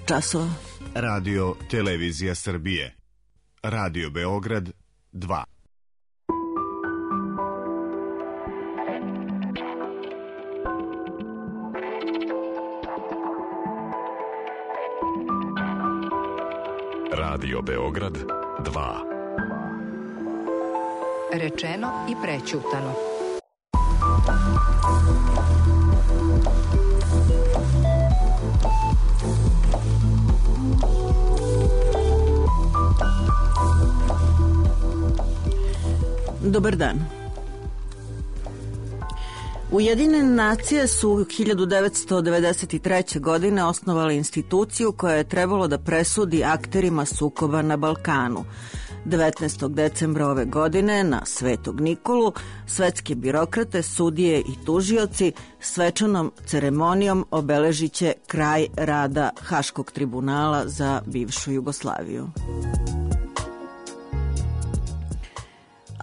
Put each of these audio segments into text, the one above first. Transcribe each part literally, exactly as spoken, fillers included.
časova. Radio Televizija Srbije. Radio Beograd dva. Radio Beograd dva. Rečeno i prećutano. Dobar dan. Ujedinjene nacije su hiljadu devetsto devedeset treće. godine osnovale instituciju koja je trebalo da presudi akterima sukoba na Balkanu. devetnaestog decembra ove godine na Svetog Nikolu svetske birokrate, sudije i tužioci svečanom ceremonijom obeležiće kraj rada Haškog tribunala za bivšu Jugoslaviju.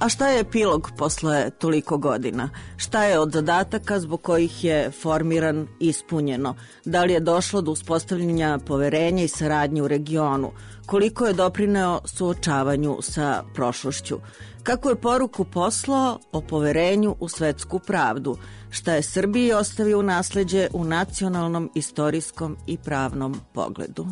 A šta je epilog posle toliko godina? Šta je od zadataka zbog kojih je formiran ispunjeno? Da li je došlo do uspostavljanja poverenja i saradnje u regionu? Koliko je doprineo suočavanju sa prošlošću? Kako je poruku poslao o poverenju u svetsku pravdu? Šta je Srbiji ostavio u nasleđe u nacionalnom, istorijskom i pravnom pogledu?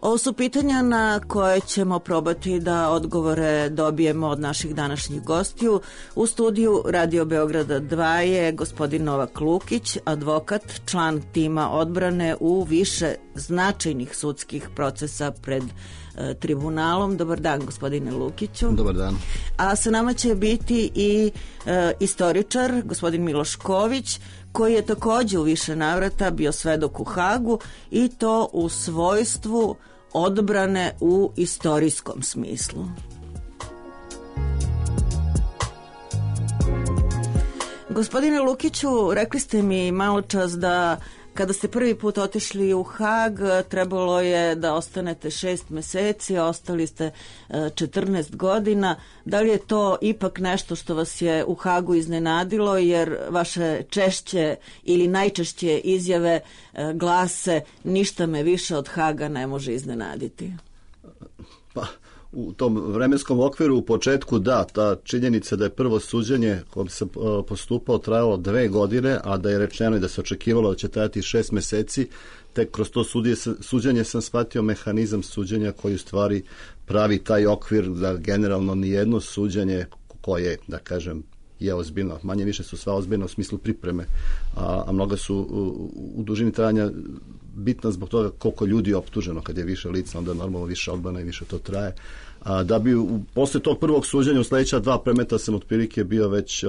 Ovo su pitanja na koje ćemo probati da odgovore dobijemo od naših današnjih gostiju. U studiju Radio Beograda dva je gospodin Novak Lukić, advokat, član tima odbrane u više značajnih sudskih procesa pred e, tribunalom. Dobar dan, gospodine Lukiću. Dobar dan. A sa nama će biti i e, istoričar, gospodin Miloš Ković, koji je takođe u više navrata bio svedok u Hagu i to u svojstvu odbrane u istorijskom smislu. Gospodine Lukiću, rekli ste mi malo čas da kada ste prvi put otišli u Hag, trebalo je da ostanete šest meseci, a ostali ste četrnaest godina. Da li je to ipak nešto što vas je u Hagu iznenadilo, jer vaše češće ili najčešće izjave glase ništa me više od Haga ne može iznenaditi? Pa, u tom vremenskom okviru u početku da, ta činjenica da je prvo suđenje kojom sam postupao trajalo dve godine, a da je rečeno i da se očekivalo da će trajati šest meseci, tek kroz to sudje, suđenje sam shvatio mehanizam suđenja koji u stvari pravi taj okvir da generalno nijedno suđenje koje, da kažem, je ozbiljno, manje više su sva ozbiljno u smislu pripreme, a, a mnoga su u, u dužini trajanja bitna zbog toga koliko ljudi je optuženo. Kad je više lica, onda normalno više odbrana i više to traje. A da bi u, posle tog prvog suđenja u sledeća dva predmeta sam otprilike bio već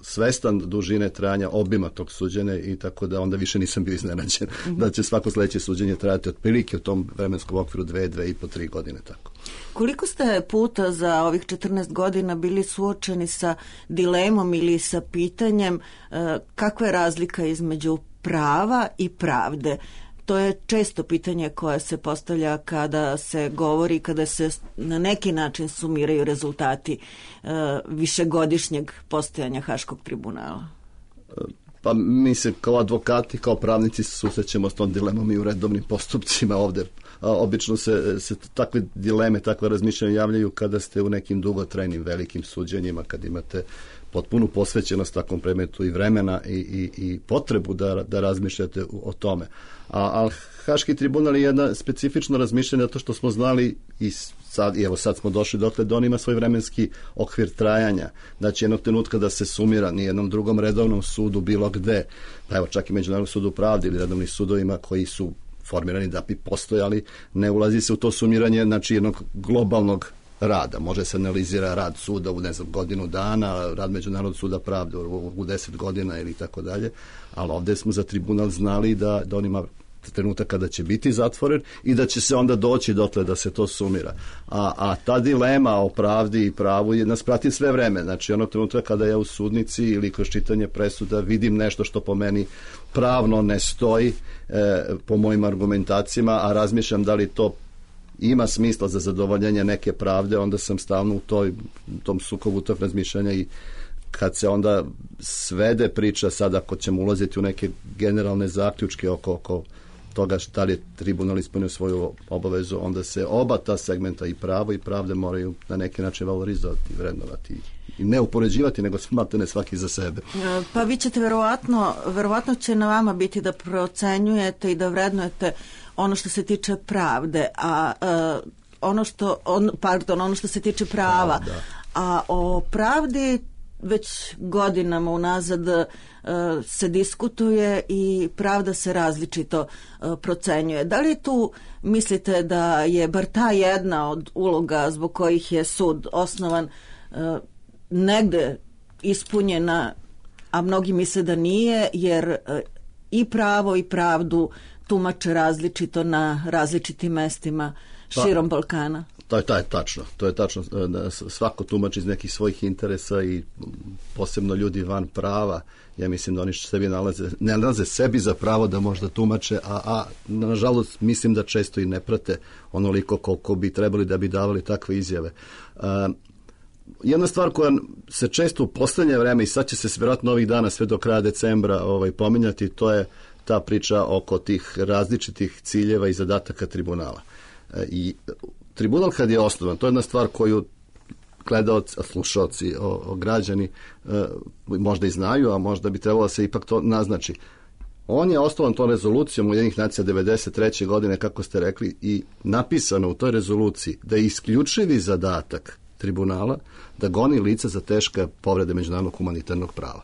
svestan dužine trajanja obima tog suđenja i tako da onda više nisam bio iznenađen mm-hmm. da će svako sledeće suđenje trajati otprilike u tom vremenskom okviru dve, dve i po tri godine. Tako. Koliko ste puta za ovih četrnaest godina bili suočeni sa dilemom ili sa pitanjem e, kakva je razlika između prava i pravde? To je često pitanje koje se postavlja kada se govori, kada se na neki način sumiraju rezultati uh, višegodišnjeg postojanja Haškog tribunala. Pa mi se kao advokati, kao pravnici susrećemo s tom dilemom i u redovnim postupcima ovde. A, obično se, se takve dileme, takve razmišljanja javljaju kada ste u nekim dugotrajnim velikim suđenjima, kad imate potpunu posvećenost takvom predmetu i vremena i, i, i potrebu da, da razmišljate o tome. A, a Haški tribunal je jedna specifično razmišljanje zato što smo znali i sad, i evo sad smo došli dotle da on ima svoj vremenski okvir trajanja. Znači jednog trenutka da se sumira ni jednom drugom redovnom sudu bilo gde, pa evo čak i Međunarodnom sudu pravde ili redovnim sudovima koji su formirani da bi postojali, ne ulazi se u to sumiranje znači jednog globalnog rada. Može se analizira rad suda u ne znam godinu dana, rad Međunarodnog suda pravde u, u deset godina ili tako dalje, ali ovde smo za tribunal znali da, da on ima trenutak kada će biti zatvoren i da će se onda doći dotle da se to sumira. A, a ta dilema o pravdi i pravu je, nas prati sve vreme. Znači onog trenutka kada ja u sudnici ili kroz čitanje presuda vidim nešto što po meni pravno ne stoji e, po mojim argumentacijama, a razmišljam da li to ima smisla za zadovoljenje neke pravde, onda sam stalno u toj, tom sukobu tog razmišljanja i kad se onda svede priča, sad ako ćemo ulaziti u neke generalne zaključke oko, oko toga šta li je tribunal ispunio svoju obavezu, onda se oba ta segmenta, i pravo i pravde, moraju na neki način valorizovati, vrednovati i ne upoređivati, nego smatrane svaki za sebe. Pa vi ćete verovatno, verovatno će na vama biti da procenjujete i da vrednujete ono što se tiče pravde, a uh, ono što, on, pardon, ono što se tiče prava, da, da. A o pravdi već godinama unazad uh, se diskutuje i pravda se različito uh, procenjuje. Da li tu mislite da je bar ta jedna od uloga zbog kojih je sud osnovan uh, negde ispunjena, a mnogi misle da nije, jer uh, i pravo i pravdu tumače različito na različitim mestima širom pa, Balkana? To je, to je tačno. To je tačno. Svako tumači iz nekih svojih interesa i posebno ljudi van prava. Ja mislim da oni sebi nalaze, ne nalaze sebi za pravo da možda tumače, a, a nažalost mislim da često i ne prate onoliko koliko bi trebali da bi davali takve izjave. Uh, jedna stvar koja se često u poslednje vreme, i sad će se vjerojatno ovih dana sve do kraja decembra ovaj, pominjati, to je ta priča oko tih različitih ciljeva i zadataka tribunala. I tribunal kad je osnovan, to je jedna stvar koju gledaoci, slušaoci, o, o građani e, možda i znaju, a možda bi trebalo se ipak to naznači. On je osnovan tom rezolucijom Ujedinjenih nacija devedeset treće godine, kako ste rekli, i napisano u toj rezoluciji da je isključivi zadatak tribunala da goni lica za teške povrede međunarodnog humanitarnog prava.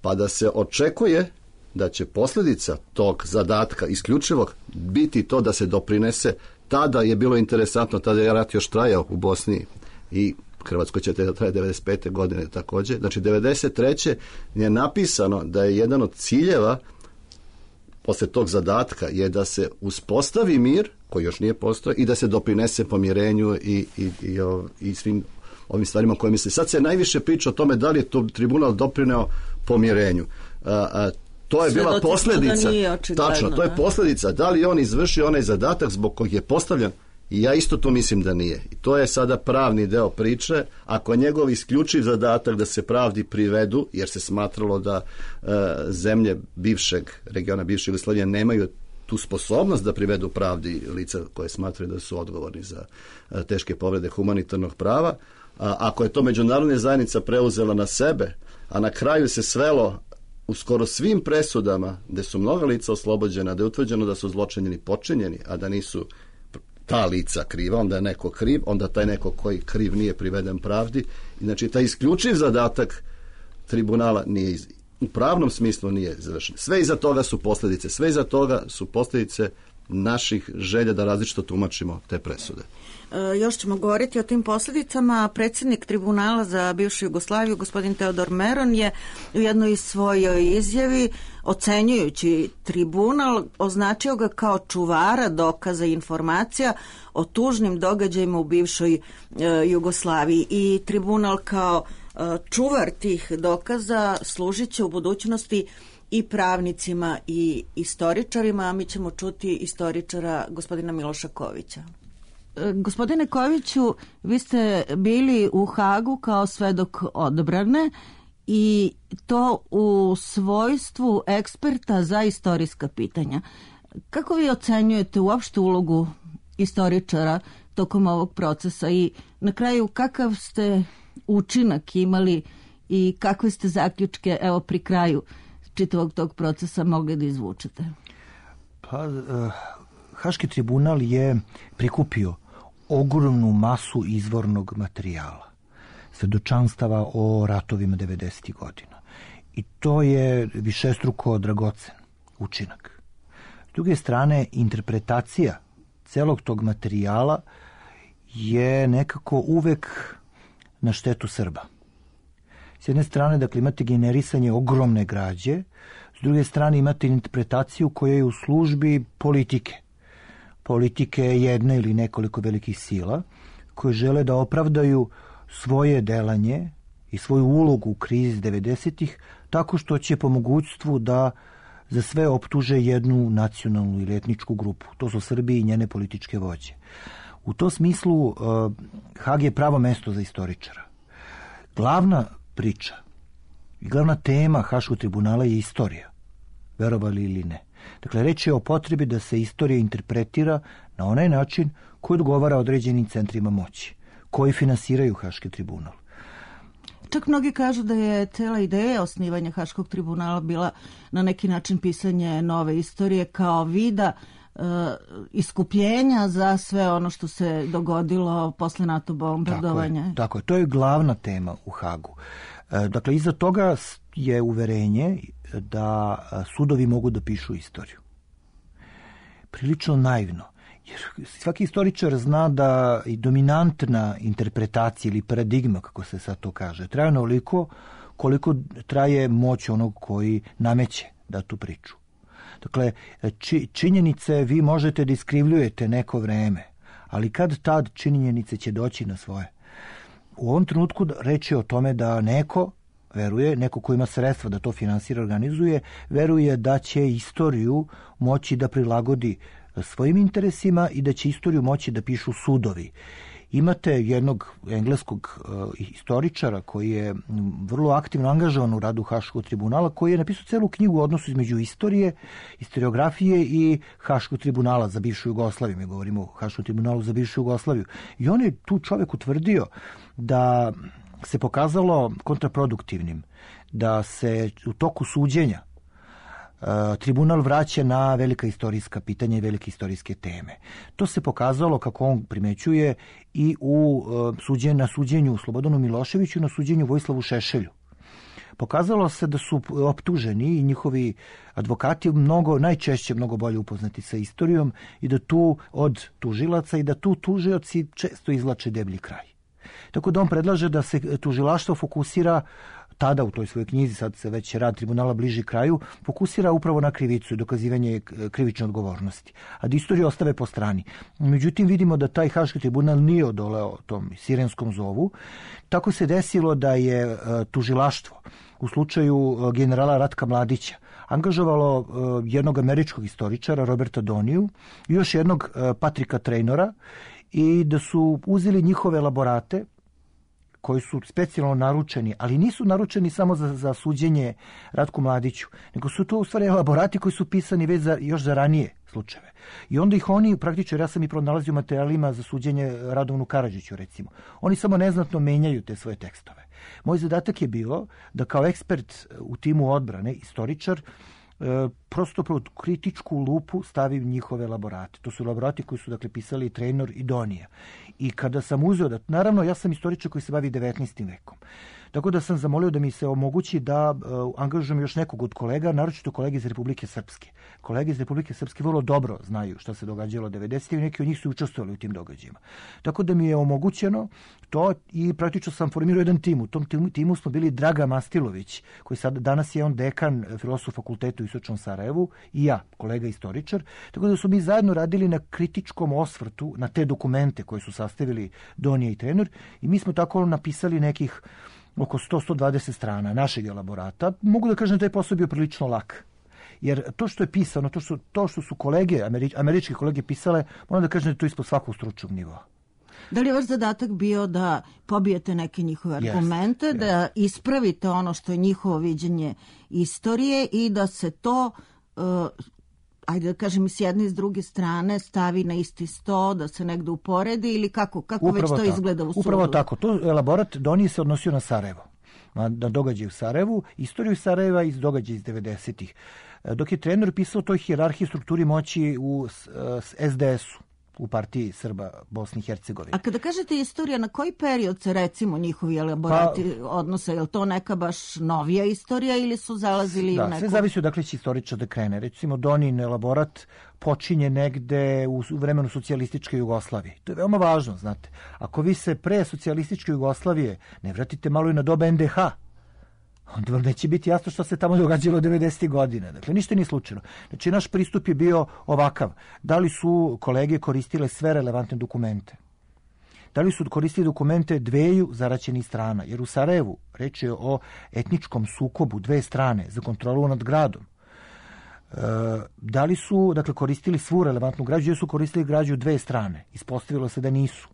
Pa da se očekuje da će posljedica tog zadatka isključivog biti to da se doprinese. Tada je bilo interesantno, tada je rat još trajao u Bosni i Hrvatskoj će traje devedeset pete godine također. Znači devedeset treće je napisano da je jedan od ciljeva posle tog zadatka je da se uspostavi mir, koji još nije postojao, i da se doprinese pomirenju i, i, i, i svim ovim stvarima koje misle. Sad se najviše priča o tome da li je to tribunal doprineo pomirenju. A, a, To je bila posljedica, tačno, to je posljedica, da li on izvršio onaj zadatak zbog kojeg je postavljen, i ja isto to mislim da nije. I to je sada pravni deo priče. Ako je njegov isključiv zadatak da se pravdi privedu, jer se smatralo da e, zemlje bivšeg regiona, bivše Jugoslavije nemaju tu sposobnost da privedu pravdi lica koje smatraju da su odgovorni za e, teške povrede humanitarnog prava, a ako je to međunarodna zajednica preuzela na sebe, a na kraju se svelo u skoro svim presudama gde su mnoga lica oslobođena, da je utvrđeno da su zločinjeni počinjeni, a da nisu ta lica kriva, onda je neko kriv, onda taj neko koji kriv nije priveden pravdi. I znači taj isključiv zadatak tribunala nije iz, u pravnom smislu nije završen. Sve iza toga su posljedice, sve iza toga su posljedice naših želja da različito tumačimo te presude. E, još ćemo govoriti o tim posljedicama. Predsjednik tribunala za bivšu Jugoslaviju, gospodin Teodor Meron, je u jednoj svojoj izjavi, ocenjujući tribunal, označio ga kao čuvara dokaza i informacija o tužnim događajima u bivšoj e, Jugoslaviji. I tribunal kao e, čuvar tih dokaza služit će u budućnosti i pravnicima i istoričarima, a mi ćemo čuti istoričara gospodina Miloša Kovića. Gospodine Koviću, vi ste bili u Hagu kao svedok odbrane i to u svojstvu eksperta za istorijska pitanja. Kako vi ocenjujete uopšte ulogu istoričara tokom ovog procesa i na kraju kakav ste učinak imali i kakve ste zaključke evo pri kraju čitavog tog procesa mogli da izvučete? Pa, uh, Haški tribunal je prikupio ogromnu masu izvornog materijala, svedočanstava o ratovima devedesetih godina. I to je višestruko dragocen učinak. S druge strane, interpretacija celog tog materijala je nekako uvek na štetu Srba. S jedne strane, dakle, imate generisanje ogromne građe, s druge strane imate interpretaciju koja je u službi politike. Politike jedne ili nekoliko velikih sila koje žele da opravdaju svoje delanje i svoju ulogu u krizi devedesetih tako što će po mogućstvu da za sve optuže jednu nacionalnu ili etničku grupu. To su Srbi i njene političke vođe. U tom smislu Hag je pravo mesto za istoričara. Glavna priča I glavna tema Haškog tribunala je istorija, verovali ili ne. Dakle, reč je o potrebi da se istorija interpretira na onaj način koji odgovara određenim centrima moći, koji finansiraju Haški tribunal. Čak mnogi kažu da je cela ideja osnivanja Haškog tribunala bila na neki način pisanje nove istorije kao vida e, iskupljenja za sve ono što se dogodilo posle NATO bombardovanja. Tako je, tako je. To je glavna tema u Hagu. E, dakle, iza toga je uverenje da sudovi mogu da pišu istoriju. Prilično naivno. Jer svaki istoričar zna da i dominantna interpretacija ili paradigma, kako se sad to kaže, traje onoliko koliko traje moć onog koji nameće da tu priču. Dakle, či, činjenice vi možete da iskrivljujete neko vreme, ali kad tad činjenice će doći na svoje. U ovom trenutku reč je o tome da neko veruje, neko ko ima sredstva da to finansira, organizuje, veruje da će istoriju moći da prilagodi svojim interesima i da će istoriju moći da pišu sudovi. Imate jednog engleskog uh, istoričara koji je vrlo aktivno angažovan u radu Haškog tribunala, koji je napisao celu knjigu o odnosu između istorije, historiografije i Haškog tribunala za bivšu Jugoslaviju. Mi govorimo o Haškom tribunalu za bivšu Jugoslaviju. I on je tu čovjek utvrdio da se pokazalo kontraproduktivnim, da se u toku suđenja tribunal vraća na velika istorijska pitanja i velike istorijske teme. To se pokazalo, kako on primećuje, i u suđenju, na suđenju Slobodanu Miloševiću, na suđenju Vojislavu Šešelju. Pokazalo se da su optuženi i njihovi advokati mnogo, najčešće mnogo bolje upoznati sa istorijom i da tu od tužilaca i da tu tužioci često izvlače deblji kraj. Tako da on predlaže da se tužilaštvo fokusira tada u toj svojoj knjizi, sad se već rad tribunala bliži kraju, fokusira upravo na krivicu i dokazivanje krivične odgovornosti, a da istoriju ostave po strani. Međutim, vidimo da taj Haški tribunal nije odoleo tom sirenskom zovu. Tako se desilo da je tužilaštvo u slučaju generala Ratka Mladića angažovalo jednog američkog istoričara, Roberta Doniju, i još jednog Patrika Traynora, i da su uzeli njihove elaborate koji su specijalno naručeni, ali nisu naručeni samo za, za suđenje Ratku Mladiću, nego su to u stvari elaborati koji su pisani već za, još za ranije slučajeve. I onda ih oni, praktično, ja sam i pronalazio u materijalima za suđenje Radovanu Karadžiću, recimo. Oni samo neznatno menjaju te svoje tekstove. Moj zadatak je bilo da kao ekspert u timu odbrane, istoričar, E, prosto pod kritičku lupu stavim njihove elaborate. To su elaborati koji su, dakle, pisali Traynor i Donija. I kada sam uzeo da, naravno, ja sam istoričar koji se bavi devetnaestim vekom. Tako da sam zamolio da mi se omogući da uh, angažujem još nekog od kolega, naročito kolege iz Republike Srpske. Kolege iz Republike Srpske vrlo dobro znaju šta se događalo devedesetih i neki od njih su učestvovali u tim događajima. Tako da mi je omogućeno to i praktično sam formirao jedan tim. U tom timu, timu smo bili Draga Mastilović, koji sad, danas je on dekan Filozofskog fakulteta u Istočnom Sarajevu, i ja, kolega istoričar. Tako da su mi zajedno radili na kritičkom osvrtu na te dokumente koje su sastavili Donija i Traynor, i mi smo tako napisali nekih oko sto do sto dvadeset strana našeg elaborata. Mogu da kažem da je posao bio prilično lak. Jer to što je pisano, to što, to što su kolege, američ, američke kolege pisale, moram da kažem da je to ispod svakog stručnog nivoa. Da li je vaš zadatak bio da pobijete neke njihove argumente, yes, da yes. ispravite ono što je njihovo viđenje istorije i da se to, uh, ajde da kažem, s jedne i s druge strane stavi na isti sto, da se negde uporedi, ili kako, kako već to tako izgleda u sudu? Upravo tako. To elaborat Doniji se odnosio na Sarajevo, na, na događaj u Sarajevu, istoriju Sarajeva i događaj iz devedesetih. Dok je Traynor pisao toj hijerarhiji strukturi moći u es de esu, u partiji Srba Bosne i Hercegovine. A kada kažete istorija, na koji period se, recimo, njihovi elaborati pa, odnose? Je li to neka baš novija istorija ili su zalazili da, u neku? Sve zavisi od dakle će istoričar da krene. Recimo, Donin elaborat počinje negde u vremenu socijalističke Jugoslavije. To je veoma važno, znate. Ako vi se pre socijalističke Jugoslavije ne vratite malo i na doba en de ha, onda vam neće biti jasno što se tamo događalo devedesetih godina. Dakle, ništa nije slučajno. Znači, naš pristup je bio ovakav. Da li su kolege koristile sve relevantne dokumente? Da li su koristili dokumente dveju zaraćenih strana? Jer u Sarajevu reč je o etničkom sukobu dve strane za kontrolu nad gradom. E, da li su, dakle, koristili svu relevantnu građu, jer su koristili građu dve strane? Ispostavilo se da nisu.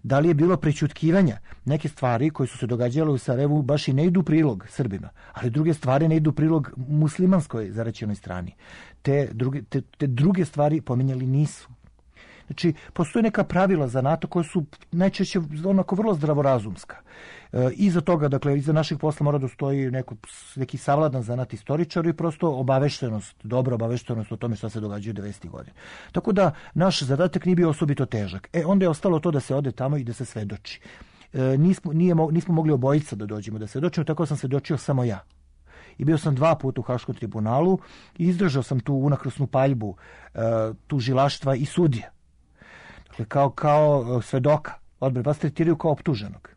Da li je bilo prećutkivanja? Neke stvari koje su se događale u Sarajevu baš i ne idu u prilog Srbima, ali druge stvari ne idu u prilog muslimanskoj zaraćenoj strani. Te druge, te, te druge stvari pominjali nisu. Znači, postoje neka pravila za NATO koje su najčešće onako vrlo zdravorazumska. E, iza toga, dakle, iza naših posla mora da stoji neko, neki savladan zanat istoričar i prosto obaveštenost, dobra obaveštenost o tome šta se događa u devedesetih godina. Tako da naš zadatak nije bio osobito težak. E, onda je ostalo to da se ode tamo i da se svedoči. E, nismo, nije, nismo mogli obojica da dođemo da svedočimo, tako sam svedočio samo ja. I bio sam dva puta u Haškom tribunalu i izdržao sam tu unakrasnu paljbu e, tužilaštva i sudija. Dakle, kao, kao svedoka odbrane, vas tretiraju kao optuženog.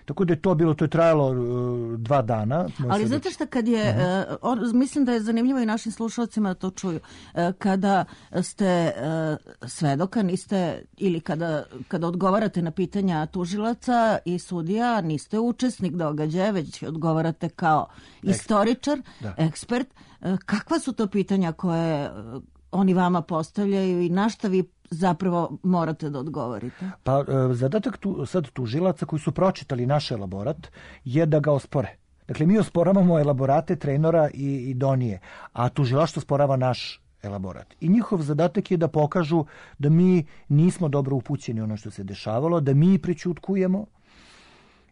Tako da je to bilo, to je trajalo uh, dva dana. Ali znate šta, kad je, uh-huh. uh, on, mislim da je zanimljivo i našim slušalcima da to čuju, uh, kada ste uh, svedoka, niste, ili kada, kada odgovarate na pitanja tužilaca i sudija, niste učesnik događaja, već odgovarate kao istoričar, da. ekspert. Uh, kakva su to pitanja koje uh, oni vama postavljaju i na šta vi zapravo morate da odgovorite? Pa zadatak tu, sad tužilaca koji su pročitali naš elaborat je da ga ospore. Dakle, mi osporavamo elaborate Trenora i, i Donije, a tužilaštvo osporava naš elaborat. I njihov zadatak je da pokažu da mi nismo dobro upućeni ono što se dešavalo, da mi prećutkujemo,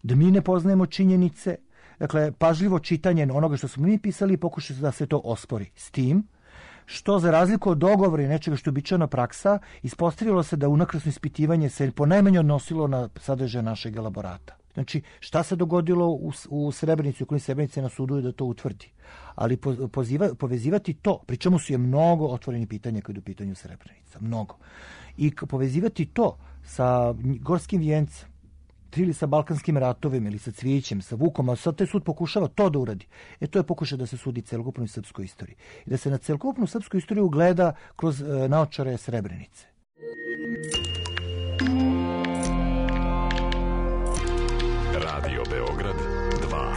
da mi ne poznajemo činjenice. Dakle, pažljivo čitanje onoga što smo mi pisali i pokušaju da se to ospori. S tim što za razliku od dogovora i nečega što je običajna praksa, ispostavilo se da unakrasno ispitivanje se ponajmanje odnosilo na sadržaj našeg elaborata. Znači, šta se dogodilo u, u Srebrenici, u kojoj Srebrenice na sudu je da to utvrdi. Ali po, poziva, povezivati to, pri čemu su je mnogo otvoreni pitanja kada je u pitanju Srebrenica, mnogo. I povezivati to sa Gorskim vijencem, ili sa Balkanskim ratovima, ili sa Cvijećem, sa Vukom, a sad taj sud pokušava to da uradi. E to je pokušaj da se sudi celokupnoj srpskoj istoriji. I da se na celokupnu srpsku istoriju gleda kroz e, naočare Srebrenice. Radio Beograd dva.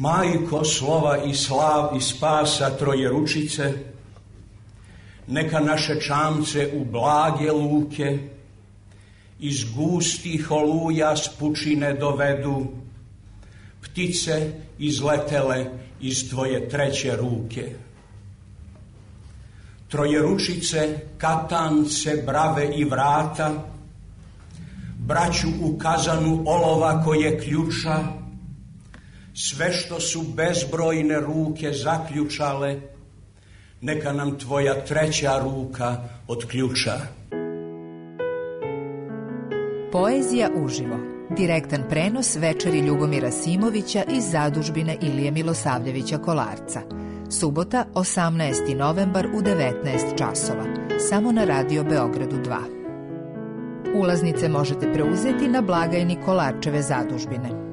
Majko slova i slav i spasa Trojeručice, neka naše čamce u blage luke iz gustih oluja s pučine dovedu ptice izletele iz tvoje treće ruke. Trojeručice, katance, brave i vrata, braću u kazanu olova koje ključa, sve što su bezbrojne ruke zaključale, neka nam tvoja treća ruka otključa. Poezija uživo. Direktan prenos večeri Ljubomira Simovića iz zadužbine Ilije Milosavljevića Kolarca. Subota, osamnaesti novembar u devetnaest časova. Samo na Radio Beogradu dva. Ulaznice možete preuzeti na blagajni Kolarčeve zadužbine.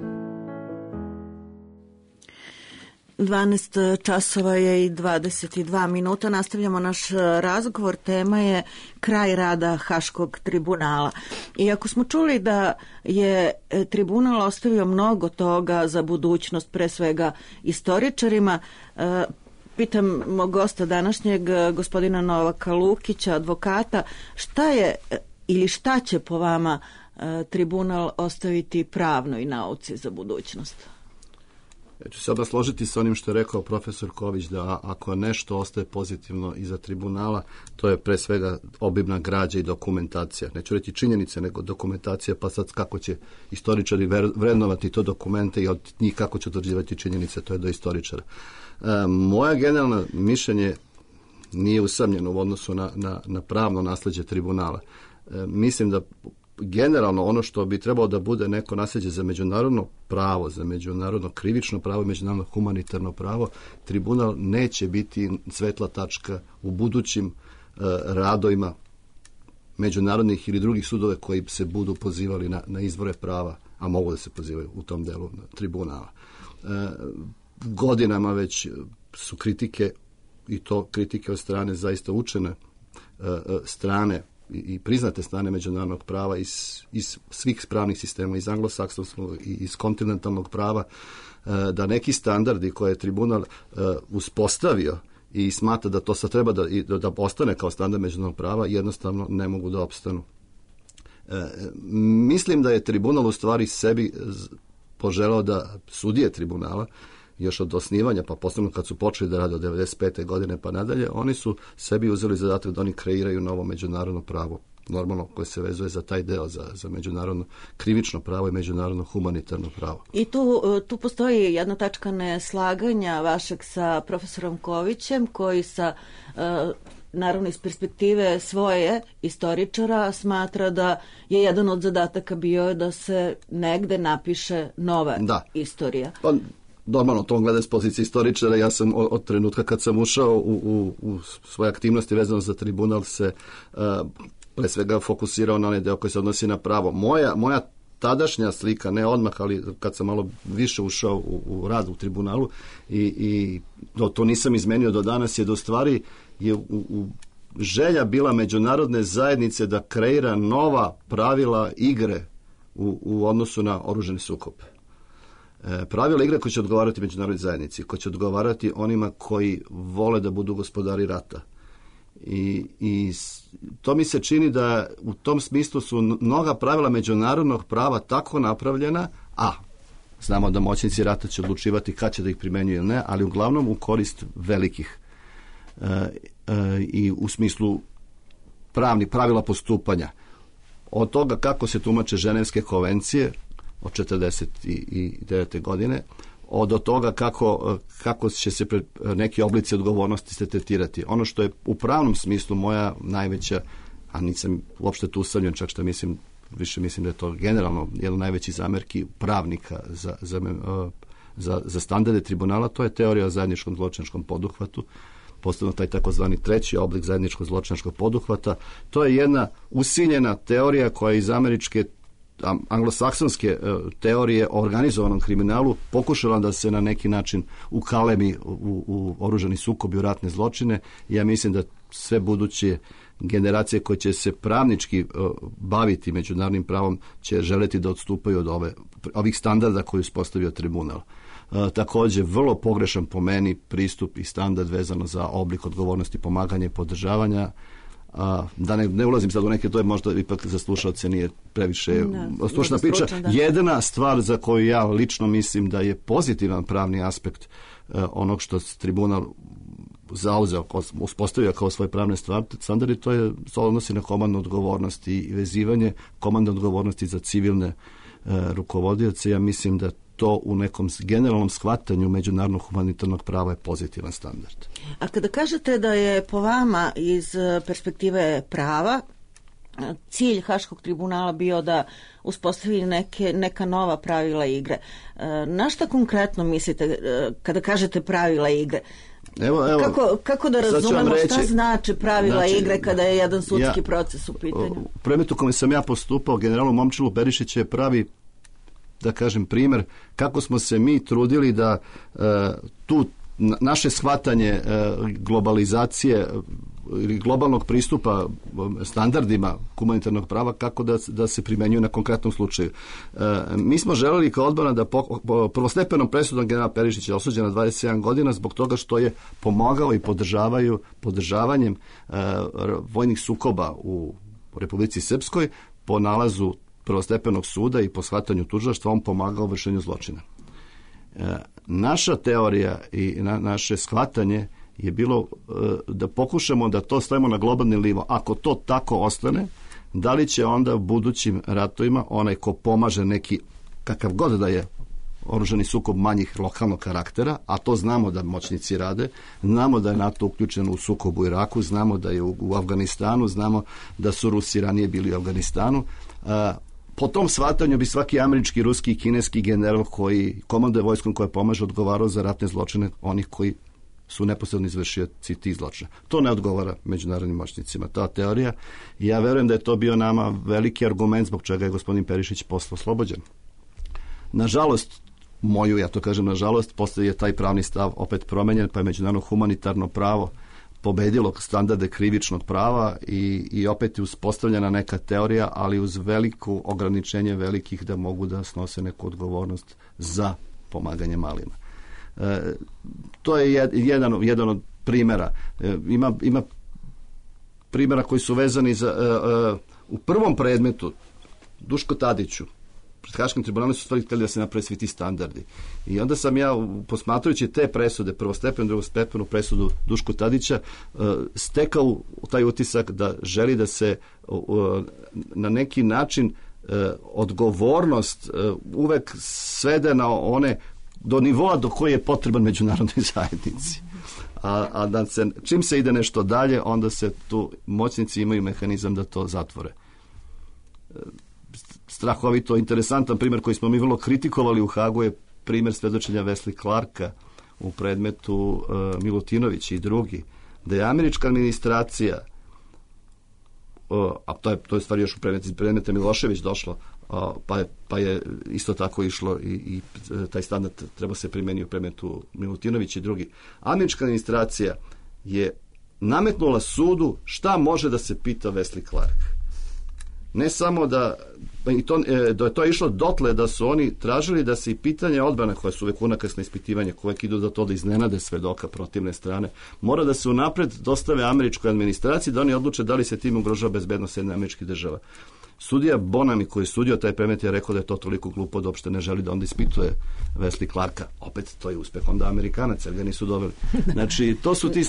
dvanaest časova je i dvadeset dva minuta. Nastavljamo naš razgovor. Tema je kraj rada Haškog tribunala. Iako smo čuli da je tribunal ostavio mnogo toga za budućnost, pre svega istoričarima, pitam mog gosta današnjeg, gospodina Novaka Lukića, advokata, šta je ili šta će po vama tribunal ostaviti pravnoj nauci za budućnost? Ja ću se odmah složiti sa onim što je rekao profesor Ković, da ako nešto ostaje pozitivno iza tribunala, to je pre svega obimna građa i dokumentacija. Neću reći činjenice, nego dokumentacija, pa sad kako će istoričari vrednovati to dokumente i od njih kako će utvrđivati činjenice, to je do istoričara. E, moja generalna mišljenje nije usamljeno u odnosu na, na, na pravno nasleđe tribunala. E, mislim da generalno ono što bi trebalo da bude neko nasljeđe za međunarodno pravo, za međunarodno krivično pravo i međunarodno humanitarno pravo, tribunal neće biti svetla tačka u budućim e, radovima međunarodnih ili drugih sudove koji se budu pozivali na, na izvore prava, a mogu da se pozivaju u tom delu tribunala. E, godinama već su kritike, i to kritike od strane zaista učene e, strane i priznate strane međunarodnog prava iz, iz svih pravnih sistema, iz anglosaksonskog i iz kontinentalnog prava, da neki standardi koje je tribunal uspostavio i smatra da to sad treba da, da ostane kao standard međunarodnog prava, jednostavno ne mogu da opstanu. Mislim da je tribunal u stvari sebi poželao da sudije tribunala još od osnivanja, pa posebno kad su počeli da rade od devedeset pete godine pa nadalje, oni su sebi uzeli zadatak da oni kreiraju novo međunarodno pravo, normalno koje se vezuje za taj deo, za, za međunarodno krivično pravo i međunarodno humanitarno pravo. I tu, tu postoji jedna tačka neslaganja vašeg sa profesorom Kovićem, koji sa naravno iz perspektive svoje istoričara smatra da je jedan od zadataka bio da se negde napiše nova da. istorija. Pa, normalno, to on gleda s pozicije istoričara. Ja sam od, od trenutka kad sam ušao u, u, u svoje aktivnosti vezano za tribunal se uh, pre svega fokusirao na onaj deo koji se odnosi na pravo. Moja, moja tadašnja slika, ne odmah, ali kad sam malo više ušao u, u rad u tribunalu i, i to, to nisam izmenio do danas, je da u stvari je u, u želja bila međunarodne zajednice da kreira nova pravila igre u, u odnosu na oružani sukob. E, pravila igre koje će odgovarati međunarodnoj zajednici, koje će odgovarati onima koji vole da budu gospodari rata. I, i to mi se čini da u tom smislu su mnoga pravila međunarodnog prava tako napravljena, a znamo da moćnici rata će odlučivati kad će da ih primenjuju ili ne, ali uglavnom u korist velikih. E, e, i u smislu pravnih pravila postupanja. Od toga kako se tumače Ženevske konvencije od četrdeset devete godine, od toga kako, kako će se pre, neki oblici odgovornosti se tretirati. Ono što je u pravnom smislu moja najveća, a nisam uopšte tu usamljen, čak što mislim, više mislim da je to generalno jedan najveći zamerki pravnika za, za, za, za standarde tribunala, to je teorija o zajedničkom zločinačkom poduhvatu, posebno taj takozvani treći oblik zajedničkog zločinačkog poduhvata. To je jedna usiljena teorija koja iz američke anglosaksonske teorije o organizovanom kriminalu pokušala da se na neki način ukalemi u, u oružani sukob i u ratne zločine. Ja mislim da sve buduće generacije koje će se pravnički baviti međunarodnim pravom će želeti da odstupaju od ove, ovih standarda koje je uspostavio tribunal. takođe vrlo pogrešan po meni pristup i standard vezano za oblik odgovornosti, pomaganja i podržavanja. A, da ne, ne ulazim sad u neke, to je možda ipak za slušalce nije previše slušna priča. Da. Jedina stvar za koju ja lično mislim da je pozitivan pravni aspekt uh, onog što tribunal zauzeo, uspostavio kao svoje pravne standarde, to je to odnosi na komandnu odgovornost i vezivanje komandne odgovornosti za civilne uh, rukovodioce. Ja mislim da to u nekom generalnom shvatanju međunarodnog humanitarnog prava je pozitivan standard. A kada kažete da je po vama iz perspektive prava cilj Haškog tribunala bio da uspostavi neke, neka nova pravila igre, na šta konkretno mislite kada kažete pravila igre? Evo, evo, kako, kako da razumemo reći, šta znači pravila znači, igre kada je jedan sudski ja, proces u pitanju? U predmetu kome sam ja postupao, generalu Momčilu Perišić je pravi, da kažem, primjer kako smo se mi trudili da uh, tu naše shvatanje uh, globalizacije ili globalnog pristupa standardima humanitarnog prava kako da, da se primenjuju na konkretnom slučaju. Uh, mi smo želeli kao odbrana da po, po, prvostepenom presudom general Perišić je osuđen na dvadeset sedam godina zbog toga što je pomogao i podržavaju podržavanjem uh, vojnih sukoba u Republici Srpskoj po nalazu prvostepenog suda i po shvatanju tužilaštva on pomagao u vršenju zločina. E, naša teorija i na, naše shvatanje je bilo e, da pokušamo da to stavimo na globalni nivo. Ako to tako ostane, da li će onda u budućim ratovima onaj ko pomaže neki, kakav god da je oružani sukob manjih lokalnog karaktera, a to znamo da moćnici rade, znamo da je NATO uključen u sukob u Iraku, znamo da je u, u Afganistanu, znamo da su Rusi ranije bili u Afganistanu. E, Po tom shvatanju bi svaki američki, ruski i kineski general koji komanduje vojskom koja pomaže odgovarao za ratne zločine onih koji su neposredno izvršioci tih zločina. To ne odgovara međunarodnim moćnicima, ta teorija. I ja verujem da je to bio nama veliki argument zbog čega je gospodin Perišić posle oslobođen. Nažalost, moju, ja to kažem nažalost, posle je taj pravni stav opet promenjen, pa je međunarodno humanitarno pravo pobedilo standarde krivičnog prava i, i opet je uspostavljena neka teorija, ali uz veliko ograničenje velikih da mogu da snose neku odgovornost za pomaganje malima. E, to je jed, jedan, jedan od primjera. E, ima, ima primjera koji su vezani za... E, e, u prvom predmetu Duško Tadiću pred Haškim tribunalom su stvari htjeli da se naprave svi ti standardi. I onda sam ja, posmatrajući te presude, prvostepenu, drugostepenu presudu Duško Tadića, stekao taj utisak da želi da se na neki način odgovornost uvek svede na one do nivoa do koje je potreban međunarodnoj zajednici. A, a da se, čim se ide nešto dalje, onda se tu moćnici imaju mehanizam da to zatvore. Strahovito interesantan primjer koji smo mi vrlo kritikovali u Hagu je primjer svedočenja Wesley Clarka u predmetu uh, Milutinović i drugi, da je američka administracija, uh, a to je, to je stvari još u predmete, predmete Milošević došlo, uh, pa, je, pa je isto tako išlo i, i taj standard treba se primeniti u predmetu Milutinović i drugi. Američka administracija je nametnula sudu šta može da se pita Wesley Clark. Ne samo da, i to, da je to išlo dotle da su oni tražili da se i pitanje odbrane, koje su uvek unakrsne ispitivanje, koje idu do to da iznenade svedoka protivne strane, mora da se unapred dostave američkoj administraciji da oni odluče da li se tim ugrožava bezbednost jedne američkih država. Sudija Bonami koji je sudio taj predmet je rekao da je to toliko glupo da uopšte ne želi da onda ispituje Wesley Clarka. Opet to je uspeh onda Amerikanaca, ga nisu doveli. Znači, to su ti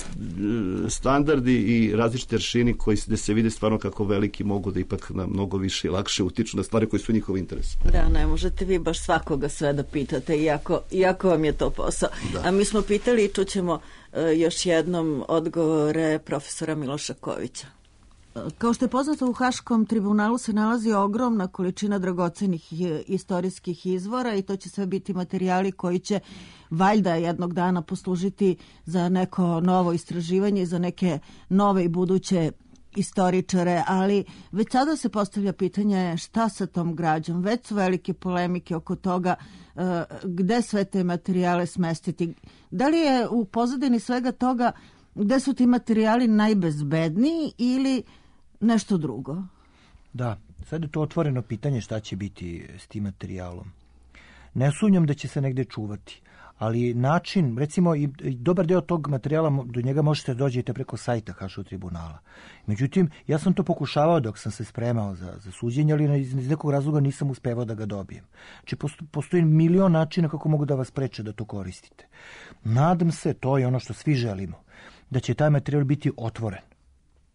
standardi i različite aršini koji gde se vide stvarno kako veliki mogu da ipak na mnogo više i lakše utiču na stvari koji su njihovi interesi. Da, ne možete vi baš svakoga sve da pitate, iako, iako vam je to posao. Da. A mi smo pitali i čućemo uh, još jednom odgovore profesora Miloša Kovića. Kao što je poznato, u Haškom tribunalu se nalazi ogromna količina dragocenih istorijskih izvora i to će sve biti materijali koji će valjda jednog dana poslužiti za neko novo istraživanje i za neke nove i buduće istoričare, ali već sada se postavlja pitanje šta sa tom građom. Već su velike polemike oko toga uh, gde sve te materijale smestiti. Da li je u pozadini svega toga gde su ti materijali najbezbedniji ili nešto drugo? Da, sad je to otvoreno pitanje šta će biti s tim materijalom. Ne sumnjam da će se negde čuvati, ali način, recimo i dobar deo tog materijala, do njega možete dođete preko sajta Haškog tribunala. Međutim, ja sam to pokušavao dok sam se spremao za, za suđenje, ali iz, iz nekog razloga nisam uspevao da ga dobijem. Znači, postoji milion načina kako mogu da vas preče da to koristite. Nadam se, to je ono što svi želimo, da će taj materijal biti otvoren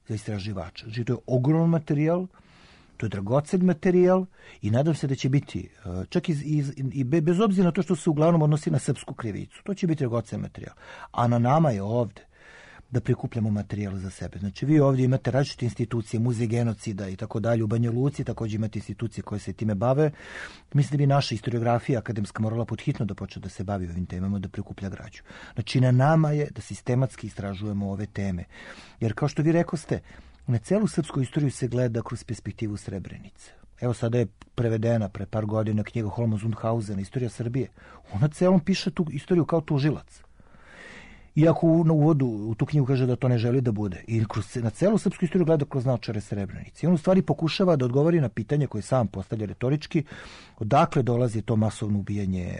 za istraživača. Znači, to je ogroman materijal, to je dragocen materijal i nadam se da će biti, čak iz, iz, i bez obzira na to što se uglavnom odnosi na srpsku krivicu, to će biti dragocen materijal. A na nama je ovde da prikupljamo materijal za sebe. Znači, vi ovdje imate različite institucije, muzej genocida i tako dalje. U Banja Luci također imate institucije koje se time bave. Mislim da bi naša historiografija akademska morala podhitno da počne da se bavi ovim temama, da prikuplja građu. Znači, na nama je da sistematski istražujemo ove teme. Jer, kao što vi rekoste, na celu srpsku istoriju se gleda kroz perspektivu Srebrenice. Evo, sada je prevedena pre par godina knjiga Holma Zundhausena, Istorija Srbije. Ona celom piše tu istoriju kao tužilac. Iako u, na uvodu u tu knjigu kaže da to ne želi da bude. I kroz, na celu srpsku istoriju gleda kroz naočare Srebrenice. I on u stvari pokušava da odgovori na pitanje koje sam postavlja retorički, odakle dolazi to masovno ubijanje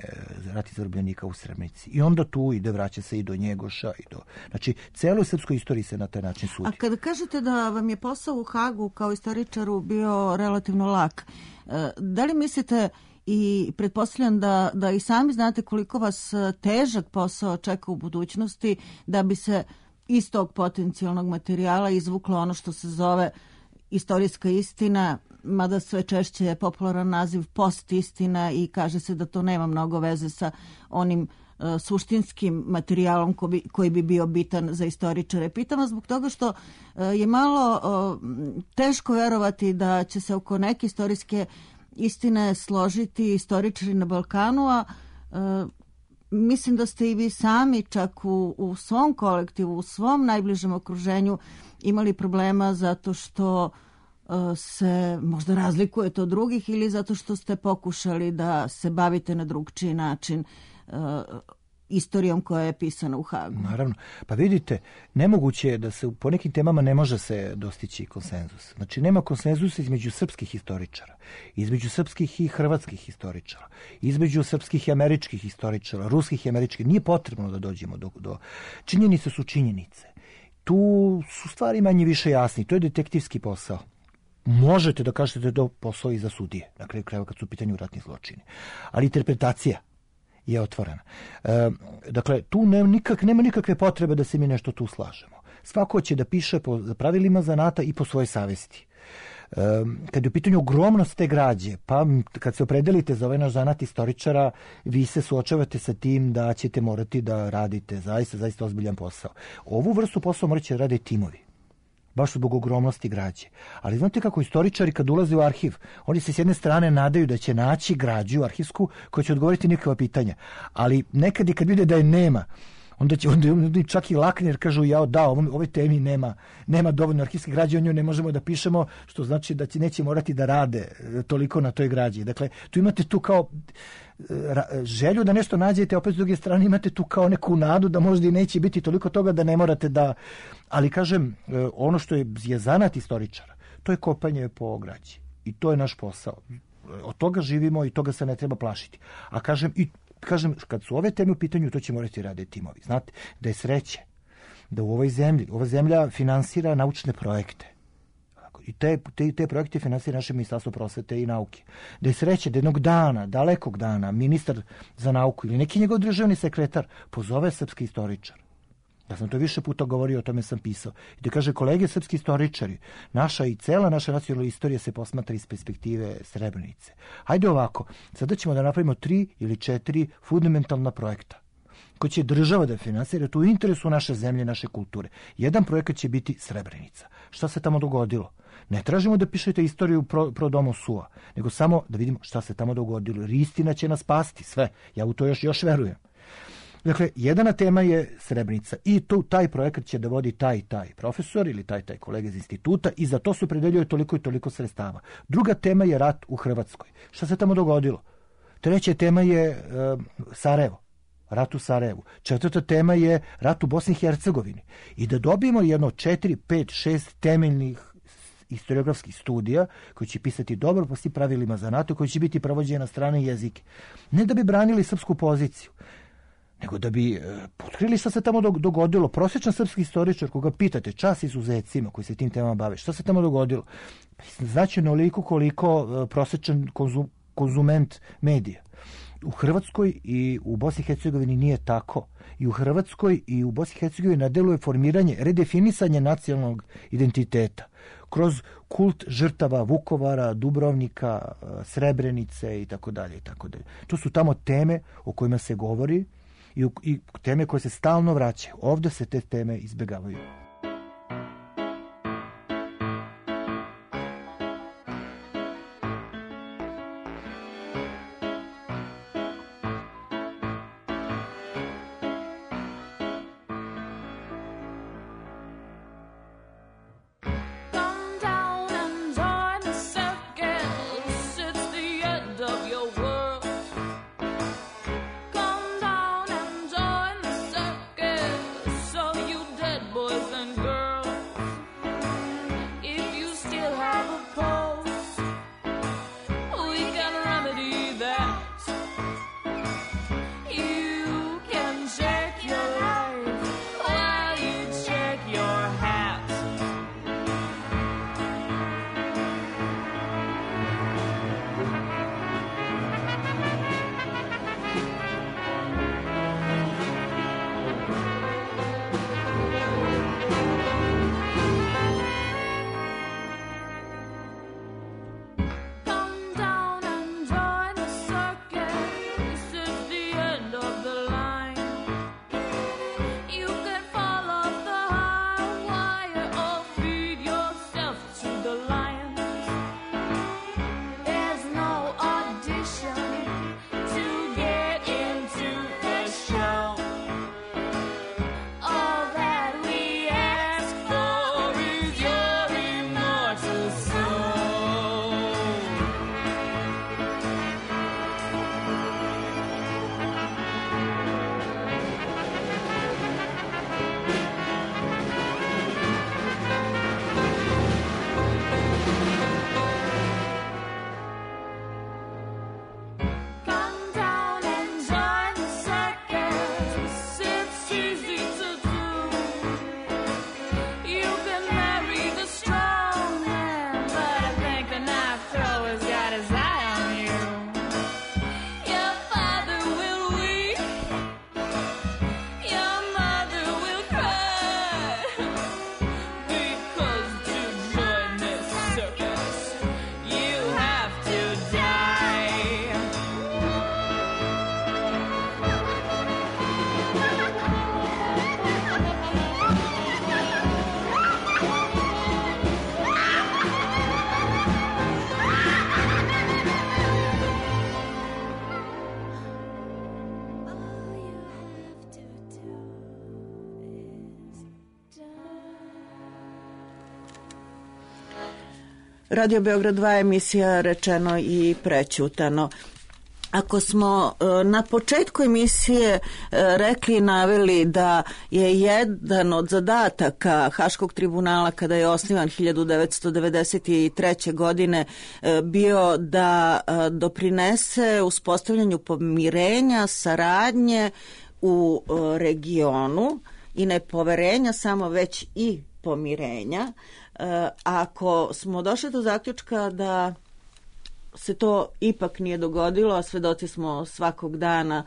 ratnih zarobljenika u Srebrenici. I onda tu ide, vraća se i do Njegoša. I do, znači, celoj srpskoj istoriji se na taj način sudi. A kada kažete da vam je posao u Hagu kao istoričaru bio relativno lak, da li mislite i pretpostavljam da, da i sami znate koliko vas težak posao čeka u budućnosti da bi se iz tog potencijalnog materijala izvuklo ono što se zove istorijska istina, mada sve češće je popularan naziv post istina i kaže se da to nema mnogo veze sa onim uh, suštinskim materijalom ko bi, koji bi bio bitan za istoričare. Pitam vas zbog toga što uh, je malo uh, teško verovati da će se oko neke istorijske istine složiti istoričari na Balkanu, a e, mislim da ste i vi sami čak u, u svom kolektivu, u svom najbližem okruženju imali problema zato što e, se možda razlikujete od drugih ili zato što ste pokušali da se bavite na drugčiji način e, istorijom koja je pisana u Hagu. Naravno. Pa vidite, nemoguće je da se po nekim temama ne može se dostići konsenzus. Znači, nema konsenzusa između srpskih historičara, između srpskih i hrvatskih historičara, između srpskih i američkih historičara, ruskih i američkih. Nije potrebno da dođemo do... do... Činjenice su činjenice. Tu su stvari manje više jasni. To je detektivski posao. Možete da kažete da je to posao i za sudije, na kraju krajeva kad su u pitanju ratni zločini. Ali interpretacija je otvorena. E, dakle, tu nema, nikak, nema nikakve potrebe da se mi nešto tu slažemo. Svako će da piše po pravilima zanata i po svojoj savesti. E, kad je u pitanju ogromnost te građe, pa kad se opredelite za ovaj naš zanat istoričara, vi se suočavate sa tim da ćete morati da radite zaista, zaista ozbiljan posao. Ovu vrstu posla morat će da rade timovi. Baš zbog ogromnosti građe. Ali znate kako istoričari kad ulaze u arhiv, oni se s jedne strane nadaju da će naći građu arhivsku koja će odgovoriti nikakva pitanja. Ali nekad i kad vide da je nema, onda će onda čak i lakne jer kažu ja da, ovoj, ovoj temi nema, nema dovoljno arhivske građe, o njoj ne možemo da pišemo, što znači da će neće morati da rade toliko na toj građi. Dakle, tu imate tu kao želju da nešto nađete, opet s druge strane imate tu kao neku nadu da možda i neće biti toliko toga da ne morate da... Ali kažem, ono što je, je zanat istoričara, to je kopanje po građi. I to je naš posao. Od toga živimo i toga se ne treba plašiti. A kažem, i, kažem kad su ove teme u pitanju, to će morati raditi timovi. Znate, da je sreće da u ovoj zemlji, ova zemlja finansira naučne projekte. I te, te, te projekte finansira naše Ministarstvo prosvete i nauke. Da je sreće da jednog dana, dalekog dana, ministar za nauku ili neki njegov državni sekretar pozove srpski istoričar. Ja sam to više puta govorio, o tome sam pisao. I da kaže, kolege srpski istoričari, naša i cela naša nacionalna istorija se posmatra iz perspektive Srebrenice. Hajde ovako, sada ćemo da napravimo tri ili četiri fundamentalna projekta koji će država da finansira, to u interesu naše zemlje, naše kulture. Jedan projekat će biti Srebrenica. Šta se tamo dogodilo? Ne tražimo da pišete istoriju pro, pro domo sua, nego samo da vidimo šta se tamo dogodilo. Jer istina će nas spasti, sve. Ja u to još, još verujem. Dakle, jedana tema je Srebrenica i tu taj projekat će da vodi taj taj profesor ili taj taj kolega iz instituta i za to se opredeljuje toliko i toliko sredstava. Druga tema je rat u Hrvatskoj. Šta se tamo dogodilo? Treća tema je e, Sarajevo. Rat u Sarajevu. Četvrta tema je rat u Bosni i Hercegovini. I da dobijemo jedno četiri, pet, šest temeljnih historiografskih studija koji će pisati dobro po svim pravilima za NATO, koji će biti pravođeni na strane jezike. Ne da bi branili srpsku poziciju, nego da bi e, otkrili šta se tamo dogodilo. Prosječan srpski istoričar, koga pitate, čas izuzecima koji se tim temama bave, šta se tamo dogodilo? Znači onoliko koliko e, prosječan konzum, konzument medija. U Hrvatskoj i u Bosni i Hercegovini nije tako. I u Hrvatskoj i u Bosni i Hercegovini na delu je formiranje, redefinisanje nacionalnog identiteta kroz kult žrtava Vukovara, Dubrovnika, Srebrenice i tako dalje i tako dalje. To su tamo teme o kojima se govori i, i teme koje se stalno vraćaju. Ovdje se te teme izbjegavaju. Radio Beograd dva, emisija Rečeno i prećutano. Ako smo na početku emisije rekli i naveli da je jedan od zadataka Haškog tribunala kada je osnivan hiljadu devetsto devedeset treće. godine bio da doprinese uspostavljanju pomirenja, saradnje u regionu i ne poverenja samo, već i pomirenja. Ako smo došli do zaključka da se to ipak nije dogodilo, a svedoci smo svakog dana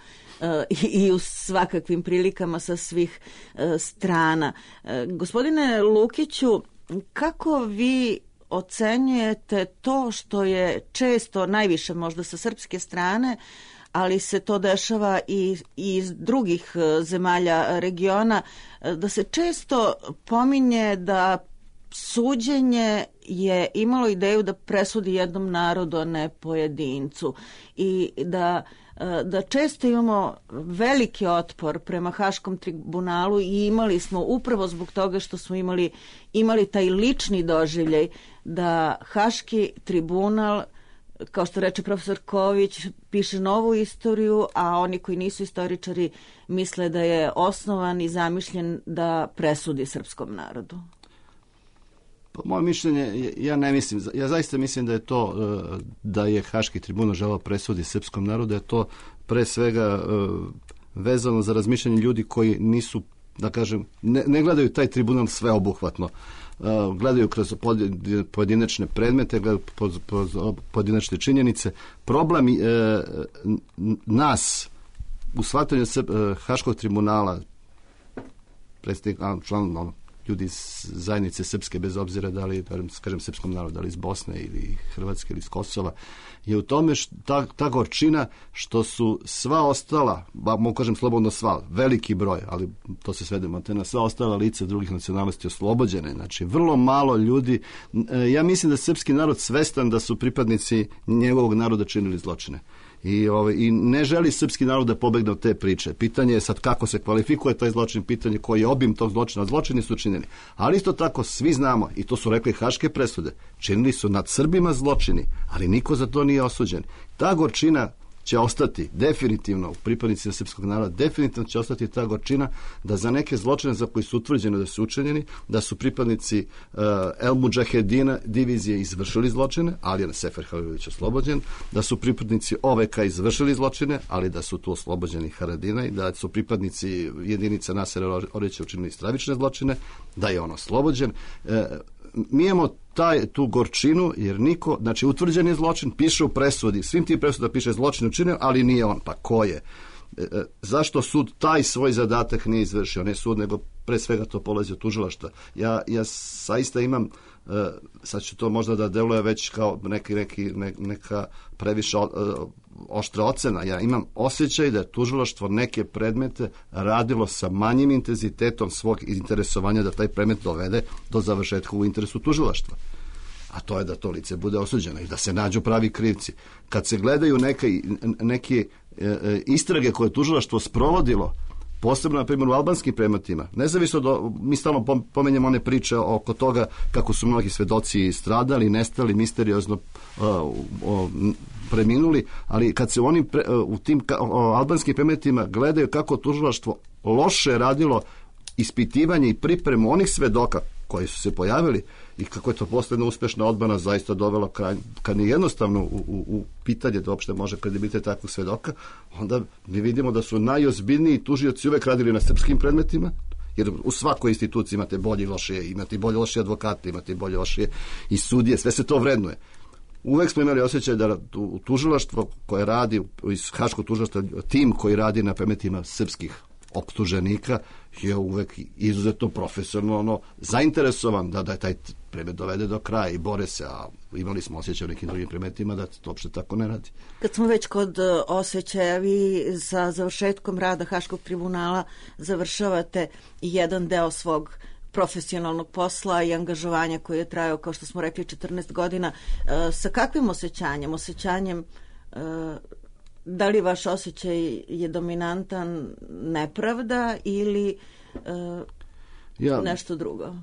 i u svakakvim prilikama sa svih strana. Gospodine Lukiću, kako vi ocenjujete to što je često, najviše možda sa srpske strane, ali se to dešava i, i iz drugih zemalja regiona, da se često pominje da suđenje je imalo ideju da presudi jednom narodu, a ne pojedincu, i da, da često imamo veliki otpor prema Haškom tribunalu i imali smo upravo zbog toga što smo imali, imali taj lični doživljaj da Haški tribunal, kao što reče profesor Ković, piše novu istoriju, a oni koji nisu istoričari misle da je osnovan i zamišljen da presudi srpskom narodu. Moje mišljenje, ja ne mislim, ja zaista mislim da je to, da je Haški tribunal želeo presudi srpskom narodu, da je to pre svega vezano za razmišljanje ljudi koji nisu, da kažem, ne, ne gledaju taj tribunal sveobuhvatno. Uh, gledaju kroz pojedinačne predmete, gledaju pojedinačne činjenice. Problem uh, nas u shvatanju uh, Haškog tribunala, predstavnik, član, ono, ljudi iz zajednice srpske, bez obzira da li, kažem, srpskom narodu, da li iz Bosne ili Hrvatske ili iz Kosova, je u tome što, ta, ta gorčina što su sva ostala, ba, mogu kažem slobodno sva, veliki broj, ali to se svedemo te na sva ostala lica drugih nacionalnosti oslobođene. Znači, vrlo malo ljudi, ja mislim da srpski narod svestan da su pripadnici njegovog naroda činili zločine. I, ovaj, I ne želi srpski narod da pobegne od te priče. Pitanje je sad kako se kvalifikuje taj zločin, pitanje koji je obim tog zločina. Zločini su činjeni. Ali isto tako svi znamo, i to su rekli haške presude, činili su nad Srbima zločini, ali niko za to nije osuđen. Ta gorčina će ostati definitivno u pripadnicima srpskog naroda, definitivno će ostati ta gorčina da za neke zločine za koji su utvrđeni da su učinjeni, da su pripadnici uh, El Mudžahedina divizije izvršili zločine, ali je Sefer Halilović oslobođen, da su pripadnici O V K izvršili zločine, ali da su tu oslobođeni Haradina, i da su pripadnici jedinica Nasera Orića učinili stravične zločine, da je on oslobođen. Uh, mi imamo taj, tu gorčinu, jer niko, znači utvrđen je zločin, piše u presudi, svim tim presuda piše zločin učinio, ali nije on, pa ko je? E, e, zašto sud taj svoj zadatak nije izvršio? Ne sud, nego pre svega to polazi od tužilaštva. Ja, ja saista imam, e, sad ću to možda da deluje već kao neki, neki, ne, neka previše o, oštra ocena, ja imam osjećaj da je tužilaštvo neke predmete radilo sa manjim intenzitetom svog interesovanja da taj predmet dovede do završetka u interesu tužilaštva. A to je da to lice bude osuđeno i da se nađu pravi krivci. Kad se gledaju neke, neke e, istrage koje je tužilaštvo sprovodilo, posebno, na primjer, u albanskim predmetima, nezavisno do, mi stalno pomenjamo one priče oko toga kako su mnogi svedoci stradali, nestali, misteriozno uh, uh, preminuli, ali kad se u, onim pre, uh, u tim ka, uh, albanskim predmetima gledaju kako tužilaštvo loše radilo ispitivanje i pripremu onih svedoka koji su se pojavili i kako je to posledna uspešna odbrana zaista dovela kraj, kad je jednostavno u, u, u pitanje da uopšte može kredibilitet takvog svedoka, onda mi vidimo da su najozbiljniji tužioci uvek radili na srpskim predmetima, jer u svakoj instituciji imate bolje i lošije, imate bolje lošije advokate, imate bolje lošije i sudije, sve se to vrednuje. Uvek smo imali osjećaj da u tužilaštvo koje radi, iz Haškog tužilaštva, tim koji radi na predmetima srpskih optuženika je uvek izuzetno profesionalno zainteresovan da, da je taj predmet dovede do kraja i bore se, a imali smo osjećaj u nekim drugim predmetima da to uopšte tako ne radi. Kad smo već kod osjećaja, vi sa završetkom rada Haškog tribunala završavate jedan deo svog profesionalnog posla i angažovanja koji je trajao, kao što smo rekli, četrnaest godina. E, sa kakvim osjećanjem? Osjećanjem e, da li vaš osjećaj je dominantan nepravda ili e, ja, nešto drugo?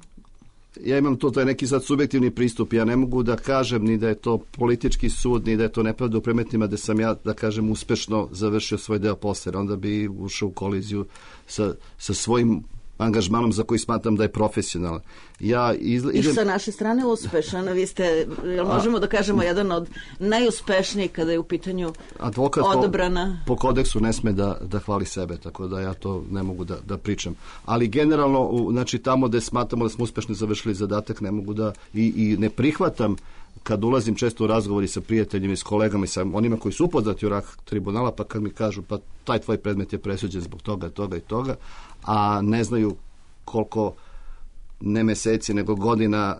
Ja imam to, to je neki sad subjektivni pristup. Ja ne mogu da kažem ni da je to politički sud, ni da je to nepravda u predmetima da sam ja, da kažem, uspešno završio svoj deo posla, jer onda bi ušao u koliziju sa, sa svojim angažmanom za koji smatram da je profesionalan. Ja izle, idem... I sa naše strane uspešan. Vi ste, jel možemo da kažemo, jedan od najuspešnijih kada je u pitanju advokat odobrana. Po, po kodeksu ne sme da, da hvali sebe, tako da ja to ne mogu da, da pričam. Ali generalno, u, znači tamo gde smatramo da smo uspešno završili zadatak, ne mogu da i, i ne prihvatam kad ulazim često u razgovori sa prijateljima i s kolegama i sa onima koji su upoznati u rad tribunala, pa kad mi kažu pa taj tvoj predmet je presuđen zbog toga, toga i toga, a ne znaju koliko ne meseci nego godina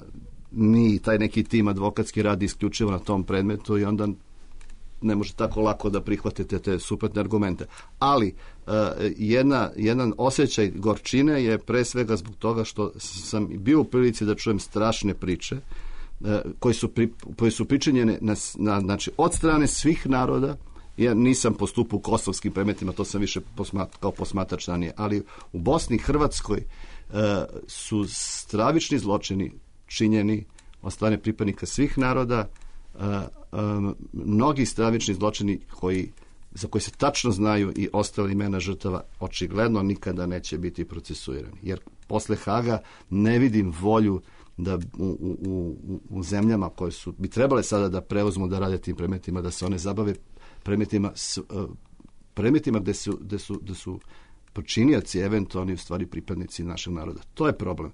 mi taj neki tim advokatski radi isključivo na tom predmetu i onda ne može tako lako da prihvatite te suprotne argumente. Ali uh, jedna, jedan osjećaj gorčine je pre svega zbog toga što sam bio u prilici da čujem strašne priče uh, koje su, pri, koje su pričinjene na, na, znači, od strane svih naroda. Ja nisam postupao u kosovskim predmetima, to sam više posmat, kao posmatrač ranije, ali u Bosni i Hrvatskoj uh, su stravični zločini činjeni od strane pripadnika svih naroda, uh, um, mnogi stravični zločini koji, za koje se tačno znaju i ostale imena žrtava očigledno nikada neće biti procesuirani. Jer posle Haga ne vidim volju da u, u, u, u zemljama koje su bi trebale sada da preuzmu da rade tim predmetima, da se one zabave predmetima s, uh, predmetima gde su, gde su, gde su počinioci eventualni u stvari pripadnici našeg naroda. To je problem.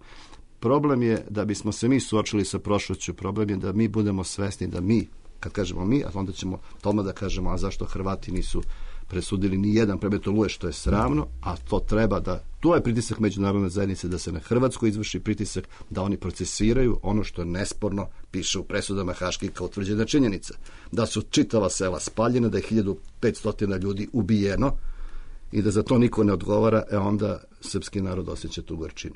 Problem je da bismo se mi suočili sa prošlošću, problem je da mi budemo svesni da mi, kad kažemo mi, a onda ćemo tome da kažemo, a zašto Hrvati nisu presudili ni jedan predmet Oluje, što je sramno, a to treba da, to je pritisak međunarodne zajednice, da se na Hrvatsku izvrši pritisak, da oni procesiraju ono što nesporno piše u presudama haških kao utvrđena činjenica. Da su čitava sela spaljena, da je hiljadu petsto ljudi ubijeno i da za to niko ne odgovara, e onda srpski narod osjeća tu gorčinu.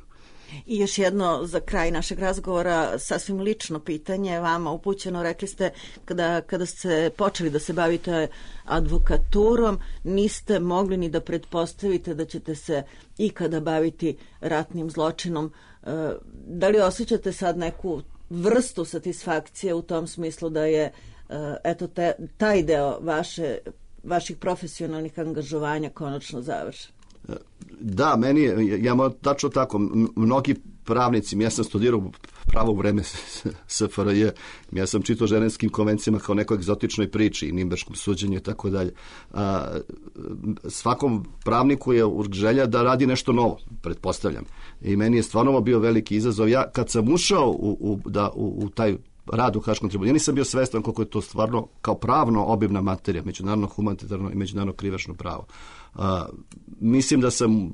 I još jedno za kraj našeg razgovora, sasvim lično pitanje vama upućeno. Rekli ste kada, kada ste počeli da se bavite advokaturom, niste mogli ni da pretpostavite da ćete se ikada baviti ratnim zločinom. Da li osjećate sad neku vrstu satisfakcije u tom smislu da je eto te, taj deo vaše, vaših profesionalnih angažovanja konačno završen? Da, meni je, ja moram tačno tako, mnogi pravnici, ja sam studirao pravo u vreme S F R J, ja sam čitao ženevskim konvencijama kao nekoj egzotičnoj priči i Nimberškom suđenju i tako dalje. Svakom pravniku je želja da radi nešto novo, pretpostavljam. I meni je stvarno bio veliki izazov. Ja kad sam ušao u, u, da, u, u taj rad u Haškom tribunalu, ja nisam bio svestan koliko je to stvarno kao pravno obimna materija, međunarodno humanitarno i međunarodno krivično pravo. Uh, mislim da sam,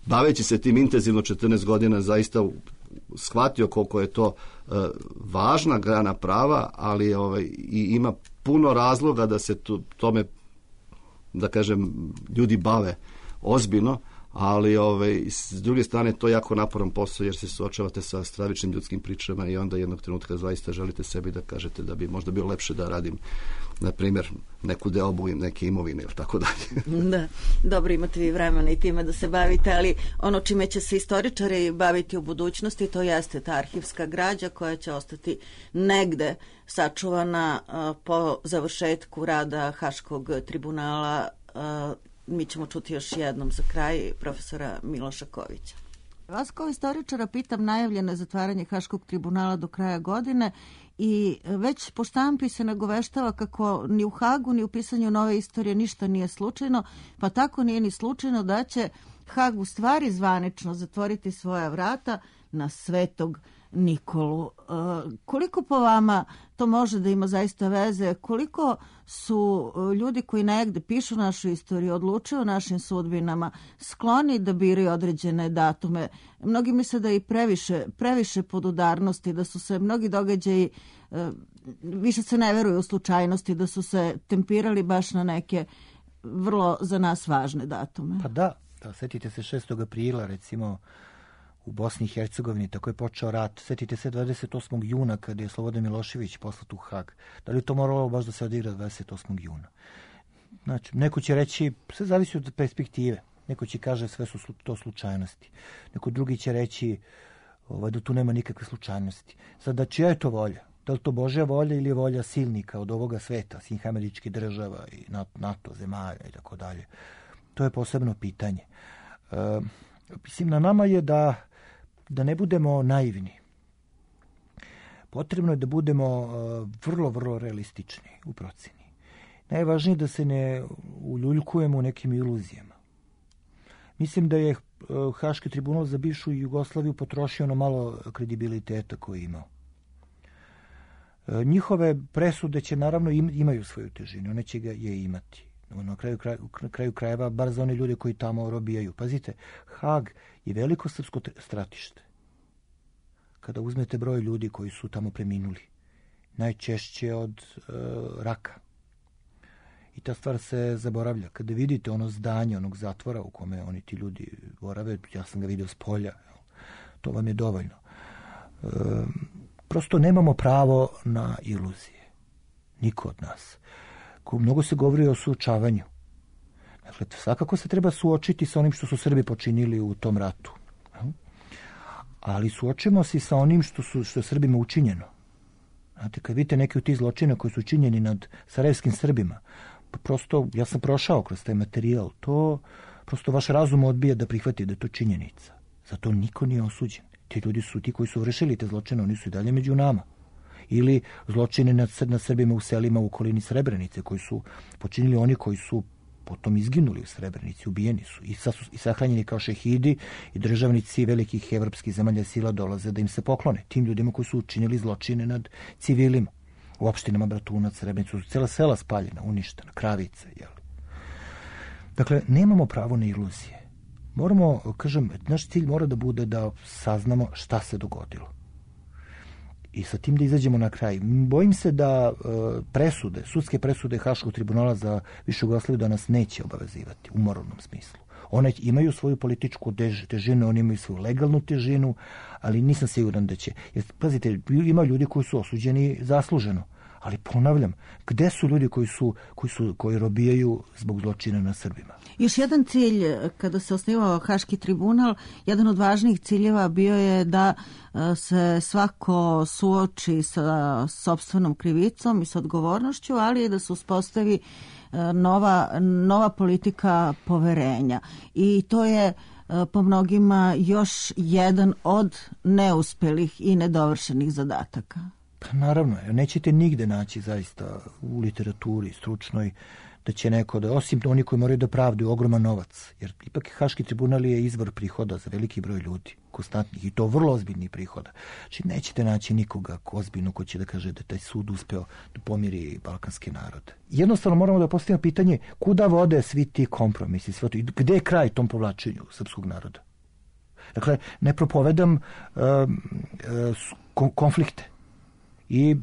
baveći se tim intenzivno četrnaest godina, zaista shvatio koliko je to uh, važna grana prava, ali ovaj, i ima puno razloga da se to, tome, da kažem, ljudi bave ozbiljno, ali ovaj, s druge strane to je jako naporan posao jer se suočavate sa stravičnim ljudskim pričama i onda jednog trenutka zaista želite sebi da kažete da bi možda bilo lepše da radim, na primjer, neku deobu i neke imovine ili tako dalje. Da, dobro, imate vi vremena i time da se bavite, ali ono čime će se istoričari baviti u budućnosti, to jeste ta arhivska građa koja će ostati negde sačuvana uh, po završetku rada Haškog tribunala. Uh, mi ćemo čuti još jednom za kraj profesora Miloša Kovića. Vas kao istoričara pitam, najavljeno je zatvaranje Haškog tribunala do kraja godine i već po štampi se nagoveštava kako ni u Hagu ni u pisanju nove istorije ništa nije slučajno, pa tako nije ni slučajno da će Hag u stvari zvanično zatvoriti svoja vrata na Svetog Nikolu. E, koliko po vama to može da ima zaista veze? Koliko su ljudi koji negde pišu našu istoriju, odlučuju o našim sudbinama, skloni da biraju određene datume? Mnogi misle da je i previše, previše podudarnosti, da su se mnogi događaji, e, više se ne veruju u slučajnosti, da su se tempirali baš na neke vrlo za nas važne datume. Pa da, da, setite se šestog aprila recimo u Bosni i Hercegovini, tako je počeo rat. Setite se dvadeset osmog juna kada je Slobodan Milošević poslat u Hag. Da li je to moralo baš da se odigra dvadeset osmog juna? Znači, neko će reći, sve zavisi od perspektive. Neko će kaže sve su to slučajnosti. Neko drugi će reći ovaj, da tu nema nikakve slučajnosti. Sada, čija je to volja? Da li to Božja volja ili je volja silnika od ovoga sveta, svih američkih država i NATO zemalja i tako dalje? To je posebno pitanje. E, mislim, na nama je da da ne budemo naivni. Potrebno je da budemo uh, vrlo, vrlo realistični u proceni. Najvažnije je da se ne uljuljkujemo u nekim iluzijama. Mislim da je uh, Haški tribunal za bivšu Jugoslaviju potrošio ono malo kredibiliteta koji je imao. Uh, njihove presude će naravno im, imaju svoju težinu, one će ga je imati. Na kraju, kraj, na kraju krajeva, bar za one ljude koji tamo robijaju. Pazite, Hag je veliko srpsko stratište. Kada uzmete broj ljudi koji su tamo preminuli, najčešće od e, raka. I ta stvar se zaboravlja. Kada vidite ono zdanje, onog zatvora u kome oni ti ljudi borave, ja sam ga vidio s polja, to vam je dovoljno. E, prosto nemamo pravo na iluzije. Niko od nas. Mnogo se govori o suočavanju. Dakle, svakako se treba suočiti sa onim što su Srbi počinili u tom ratu. Ali suočimo se sa onim što su što je Srbima učinjeno. Znate, kad vidite neke od tih zločina koji su učinjeni nad sarajevskim Srbima, pa prosto, ja sam prošao kroz taj materijal, to prosto vaš razum odbija da prihvati da je to činjenica. Zato niko nije osuđen. Ti ljudi su ti koji su vršili te zločine, oni su i dalje među nama. Ili zločine nad, nad Srbima u selima u okolini Srebrenice koji su počinili oni koji su potom izginuli u Srebrenici, ubijeni su i, sa, i sahranjeni kao šehidi i državnici velikih evropskih zemalja sila dolaze da im se poklone. Tim ljudima koji su učinili zločine nad civilima. U opštinama Bratunac, Srebrenicu su cela sela spaljena, uništena, Kravice, jel? Dakle, nemamo pravo na iluzije. Moramo, kažem, naš cilj mora da bude da saznamo šta se dogodilo. I sa tim da izađemo na kraj. Bojim se da presude, sudske presude Haškog tribunala za bivšu Jugoslaviju da nas neće obavezivati u moralnom smislu. One imaju svoju političku težinu, one imaju svoju legalnu težinu, ali nisam siguran da će. Jer, pazite, ima ljudi koji su osuđeni zasluženo. Ali ponavljam, gde su ljudi koji su koji su koji robijaju zbog zločina na Srbima? Još jedan cilj kada se osnivao Haški tribunal, jedan od važnijih ciljeva bio je da se svako suoči sa sopstvenom krivicom i sa odgovornošću, ali i da se uspostavi nova nova politika poverenja. I to je po mnogima još jedan od neuspelih i nedovršenih zadataka. Pa naravno, nećete nigde naći zaista u literaturi stručnoj da će neko, da, osim oni koji moraju da pravdaju ogroman novac, jer ipak Haški tribunal je izvor prihoda za veliki broj ljudi, konstantnih, i to vrlo ozbiljnih prihoda. Znači nećete naći nikoga ko ozbiljno ko će da kaže da taj sud uspeo da pomiri balkanske narode. Jednostavno moramo da postavimo pitanje kuda vode svi ti kompromisi, sve to, i gde je kraj tom povlačenju srpskog naroda. Dakle, ne propovedam uh, uh, konflikte i e,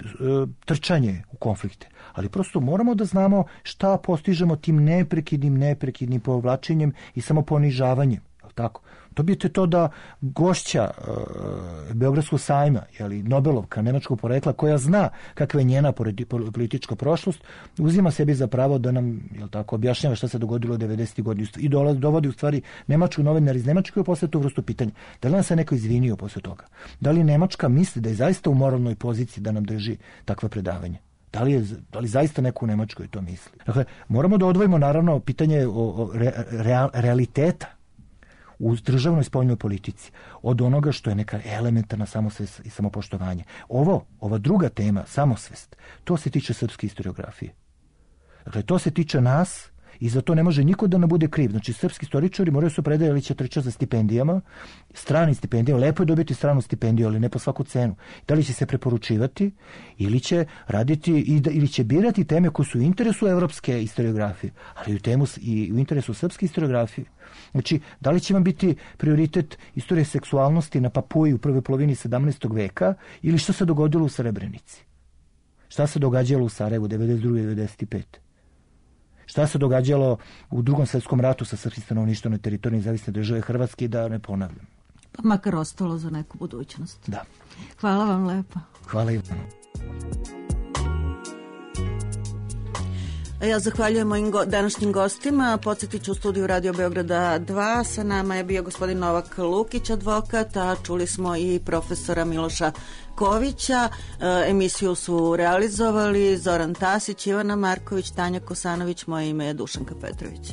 trčanje u konflikte. Ali prosto moramo da znamo šta postižemo tim neprekidnim, neprekidnim povlačenjem i samoponižavanjem. Tako. Dobijete to da gošća e, Beogradskog sajma, jeli, Nobelovka, nemačkog porekla, koja zna kakva je njena politička prošlost, uzima sebi za pravo da nam, jel tako, objašnjava šta se dogodilo u devedesetih godina i dovodi u stvari nemačku novinar iz Nemačke posle tu vrstu pitanja. Da li nam se neko izvinio posle toga? Da li Nemačka misli da je zaista u moralnoj poziciji da nam drži takva predavanja? Da li, je, da li zaista neko u Nemačkoj to misli? Dakle, moramo da odvojimo naravno pitanje o, o re, real, realiteta u državnoj spoljnoj politici od onoga što je neka elementarna samosvest i samopoštovanje. Ovo, ova druga tema, samosvest, to se tiče srpske historiografije. Dakle, to se tiče nas i za to ne može niko da ne bude kriv. Znači, srpski istoričari moraju se predati ili će trčati za stipendijama, stranim stipendijama. Lepo je dobiti stranu stipendiju, ali ne po svaku cenu. Da li će se preporučivati ili će raditi ili će birati teme koje su u interesu evropske historiografije, ali u temu i u interesu srpske historiografije. Znači, da li će vam biti prioritet istorije seksualnosti na Papuji u prvoj polovini sedamnaestog veka ili što se dogodilo u Srebrenici? Šta se događalo u Sarajevu devedeset druge devedeset pete Šta se događalo u Drugom svjetskom ratu sa srpskim stanovništvom na teritoriji nezavisne države Hrvatske, da ne ponavljam. Pa makar ostalo za neku budućnost. Da. Hvala vam lepo. Hvala i vam. Ja zahvaljujem mojim go- današnjim gostima. Podsjetit ću u studiju Radio Beograda dva. Sa nama je bio gospodin Novak Lukić, advokat, a čuli smo i profesora Miloša Kovića. E, emisiju su realizovali Zoran Tasić, Ivana Marković, Tanja Kosanović, moje ime je Dušanka Petrović.